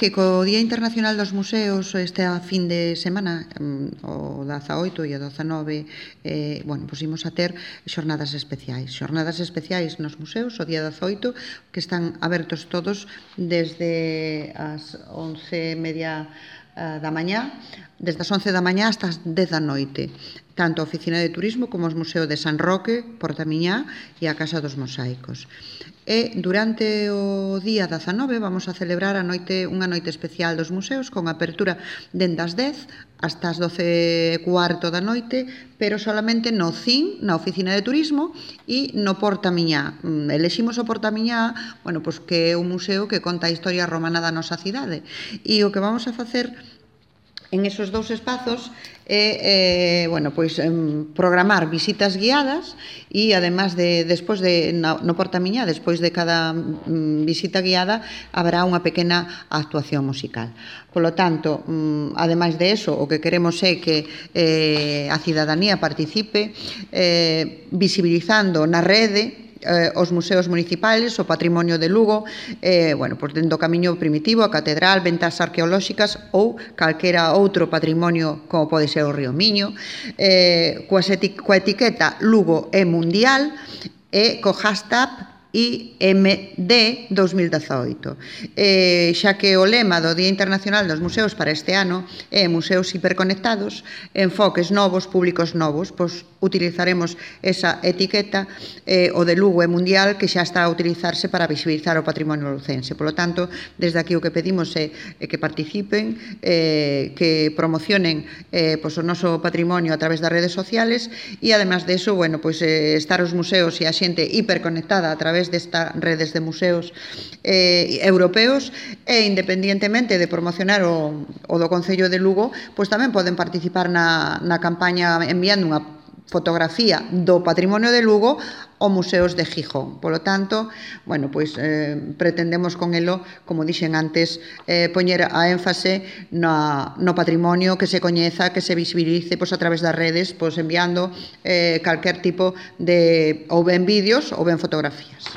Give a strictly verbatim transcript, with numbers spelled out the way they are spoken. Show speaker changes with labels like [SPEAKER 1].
[SPEAKER 1] que co Día Internacional dos Museos este fin de semana, o dezaoito e o dezanove, eh, bueno, pois imos a ter xornadas especiais. Xornadas especiais nos museos, o día dezaoito, que están abertos todos desde as once e media da mañá, desde as once da mañá hasta as dez da noite, tanto a Oficina de Turismo como os Museos de San Roque, Portamiñá e a Casa dos Mosaicos. E durante o día dezanove vamos a celebrar a noite, unha noite especial dos museos con apertura dende as dez hasta as doce e cuarto da noite, pero solamente no C I N, na Oficina de Turismo, e no Portamiñá. Eleximos o Portamiñá, bueno, pois que é un museo que conta a historia romana da nosa cidade. E o que vamos a facer en esos dous espazos é, eh, bueno, pois, eh, programar visitas guiadas e, además de, despois de, no, no Portamiñá, despois de cada mm, visita guiada, haberá unha pequena actuación musical. Polo tanto, mm, ademais de eso, o que queremos é que eh, a cidadanía participe eh, visibilizando na rede Eh, os museos municipales, o patrimonio de Lugo, eh, bueno, pois dentro do camiño primitivo, a catedral, ventas arqueolóxicas ou calquera outro patrimonio como pode ser o Río Miño, eh, coa, eti coa etiqueta Lugo é Mundial e co hashtag I M D dos mil dezaoito. Eh, xa que o lema do Día Internacional dos Museos para este ano é Museos hiperconectados, enfoques novos, públicos novos, pois utilizaremos esa etiqueta, eh, o de Lugo é Mundial, que xa está a utilizarse para visibilizar o patrimonio lucense. Por lo tanto, desde aquí o que pedimos é, é que participen, eh, que promocionen eh, pois o noso patrimonio a través das redes sociales e, además de eso, bueno, pois, eh, estar os museos e a xente hiperconectada a través destas redes de museos eh, europeos e, independientemente de promocionar o, o do Concello de Lugo, pois tamén poden participar na, na campaña enviando unha fotografía do patrimonio de Lugo ou museos de Gijón. Polo tanto, bueno, pois eh, pretendemos con elo, como dixen antes, eh, poñer a énfase na, no patrimonio, que se coñeza, que se visibilice pois, a través das redes, pois enviando eh, calquer tipo de ou ben vídeos ou ben fotografías.